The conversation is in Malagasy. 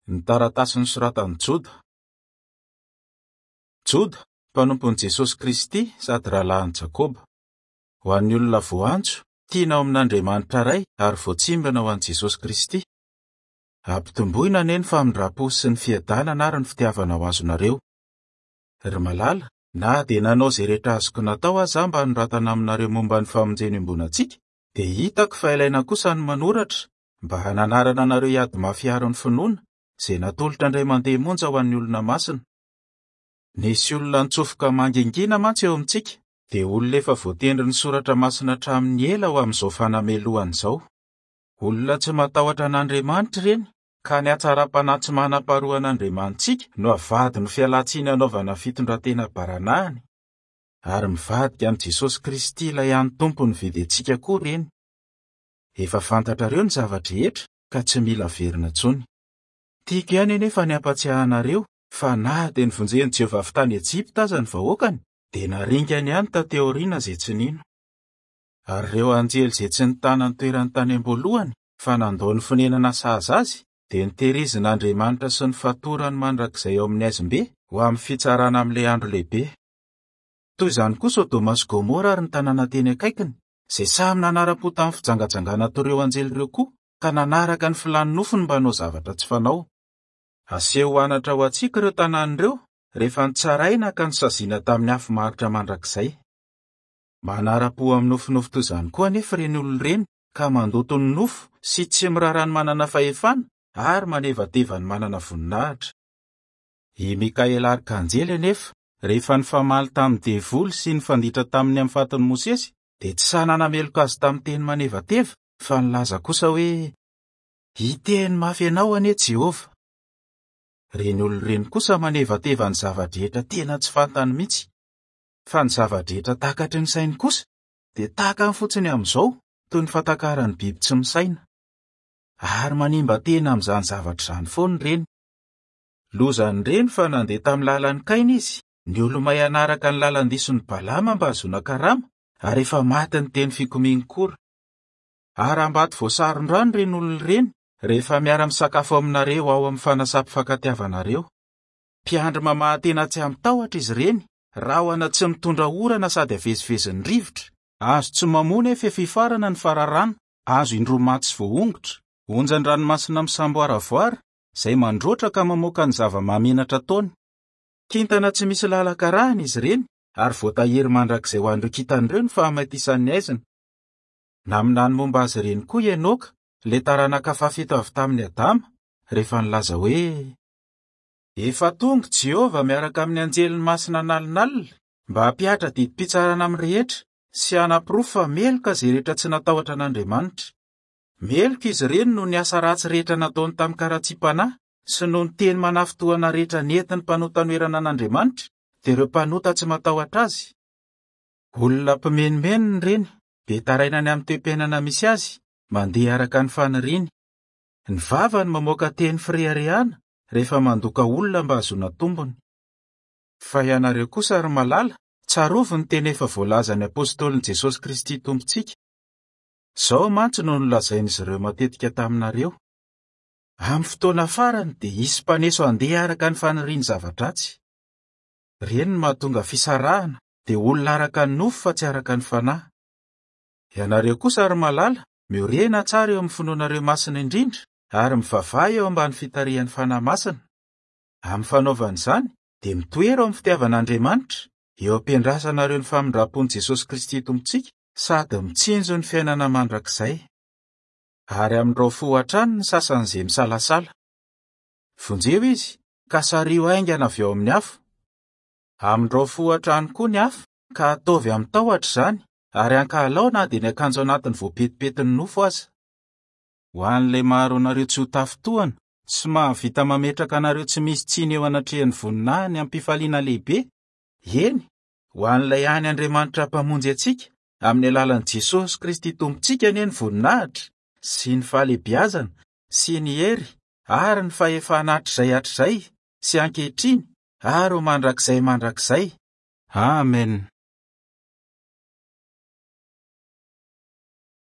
Ny taratasy nosoratan'i Joda. Joda, mpanompon'i Jesosy Kristy sady rahalahin'i Jakoba. Ho an'ny olona voantso, tiana ao amin'Andriamanitra Ray ary voatsimbina ho an'i Jesosy Kristy. Ampitomboina anie ny famindram-po sy ny fiadanana ary ny fitiavana ho azonareo. Ry malala, na dia nanao izay rehetra azoko natao aza aho mba hanoratana aminareo momba ny famonjena iombonantsika, dia hitako fa ilaina kosa ny manoratra mba hananarana anareo hiady mafy hiaro ny finoana, izay natolotra indray mandeha monja ho an'ny olona masina. Nisy olona nitsofoka mangingina mantsy eo amintsika, dia olona efa voatendrin'ny Soratra Masina hatramin'ny ela ho amin'izao fanamelohana izao. Olona tsy matahotra an'Andriamanitra ireny, ka ny hatsaram-panahy tsy manam-paharoa an'Andriamanitsika no avadiny ho fialan-tsiny hanaovana fitondran-tena baranahiny. Ary mivadika amin'i Jesosy Kristy ilay hany Tompo nividy antsika koa ireny. Efa fantatrareo ny zava-drehetra ka tsy mila averina intsony. Tiako ihany anefa ny hampatsiahy anareo fa na dia novonjen'i Jehovah avy tany Ejipta aza ny vahoakany, dia naringany ihany taty aoriana izay tsy nino. Ary ireo anjely izay tsy nitana ny toerany tany am-boalohany fa nandao ny fonenana sahaza azy, dia notehirizin'Andriamanitra sy nofatorany mandrakizay ao amin'ny haizim-be ho amin'ny fitsarana amin'ilay andro lehibe. Toy izany koa Sodoma sy Gomora ary ny tanàna teny akaikiny, izay samy nanara-po tamin'ny fijangajangana toy ireo anjely ireo koa, ka nanaraka ny filan'ny nofony mba hanao zavatra tsy fanao. Aseho ho anatra ho antsika ireo tanàna ireo, rehefa nitsaraina ka nosaziana tamin'ny afo maharitra mandrakizay. Manara-po amin'ny nofinofy toy izany koa anefa ireny olona ireny, ka mandoto ny nofo sy tsy miraharaha ny manana fahefana ary manevateva ny manana voninahitra. I Mikaela arkanjely anefa, rehefa nifamaly tamin'ny devoly sy nifanditra taminy amin'ny fatin'i Mosesy, dia tsy sahy nanameloka azy tamin'ny teny manevateva, fa nilaza kosa hoe, Hiteny mafy anao anie Jehovah. Ireny olona ireny kosa manevateva ny zava-drehetra tena tsy fantany mihitsy. Fa ny zava-drehetra takatry ny sainy kosa, dia takany fotsiny amin'izao, toy ny fatakaran'ny biby tsy misaina. Ary manimba tena amin'izany zavatra izany foana ireny. Lozan'ireny fa nandeha tamin'ny lalan'i Kaina izy, niolomay hanaraka ny lalan-dison'i Balama mba hahazoana karama, ary efa maty ny teny fikomian'i Kora. Harambato voasaron-drano ireny olona ireny rehefa miara-misakafo aminareo ao amin'ny fanasam-pifankatiavanareo. Mpiandry mamaha-tena tsy amin-tahotra izy ireny, rahona tsy mitondra orana sady avezivezin'ny rivotra, hazo tsy mamoa nefa efa hifarana ny fararano, hazo indroa maty sy voaongotra, onjan-dranomasina misamboaravoara, izay mandroatra ka mamoaka ny zava-mahamenatra ataony. Kintana tsy misy lalan-karahina izy ireny, ary voatahiry mandrakizay ho an'ireo kintana ireo ny fahamaitisany haizina. Naminany momba azy ireny koa i Enoka, ilay taranaka fahafito avy tamin'i Adama, rehefa nilaza hoe, Efa tonga Jehovah miaraka amin'ny anjeliny masina an'alinalina mba hampihatra didim-pitsarana amin'ny rehetra sy hanaporofo fa meloka izay rehetra tsy natahotra an'Andriamanitra. Meloka izy ireny noho ny asa ratsy rehetra nataony tamin-karatsiam-panahy sy noho ny teny manafintohina rehetra nentin'ny mpanota hanoherana an'Andriamanitra, dia ireo mpanota tsy matahotra azy. Olona mpimenomenona ireny, be taraina ny amin'ny toe-piainana misy azy, mandeha araka ny faniriany. Ny vavany mamoaka teny fireharehana rehefa mandoka olona mba hahazoana tombony. Fa ianareo kosa, ry malala, tsarovy ny teny efa voalazan'ny apostolin'i Jesosy Kristy Tompontsika. Izao mantsy no nolazain'izy ireo matetika taminareo, Amin'ny fotoana farany dia hisy mpaneso handeha araka ny faniriany zava-dratsy. Ireny no mahatonga fisarahana, dia olona araka ny nofo fa tsy araka ny fanahy. Ianareo kosa, ry malala, miorena tsara eo amin'ny finoanareo masina indrindra ary mivavaha eo ambany fitarihan'ny Fanahy Masina. Amin'ny fanaovana izany, dia mitoera ao amin'ny fitiavan'Andriamanitra, eo am-piandrasanareo ny famindram-pon'i Jesosy Kristy Tompontsika, sady mitsinjo ny fiainana mandrakizay. Ary amindrao fo hatrany ny sasany izay misalasala. Vonjeo izy, ka sariho haingana avy ao amin'ny afo. Amindrao fo hatrany koa ny hafa, ka ataovy amin-tahotra izany, ary ankahalao na dia ny akanjo anatiny voapetipetin'ny nofo aza. Ho an'ilay maharo anareo tsy ho tafintohina sy mahavita mametraka anareo tsy misy tsiny eo anatrehan'ny voninahiny amim-pifaliana lehibe, eny, ho an'ilay hany Andriamanitra Mpamonjy antsika, amin'ny alalan'i Jesosy Kristy Tompontsika anie ny voninahitra, sy ny fahalehibiazana, sy ny hery, ary ny fahefana hatrizay hatrizay, sy ankehitriny, ary ho mandrakizay mandrakizay. Amen.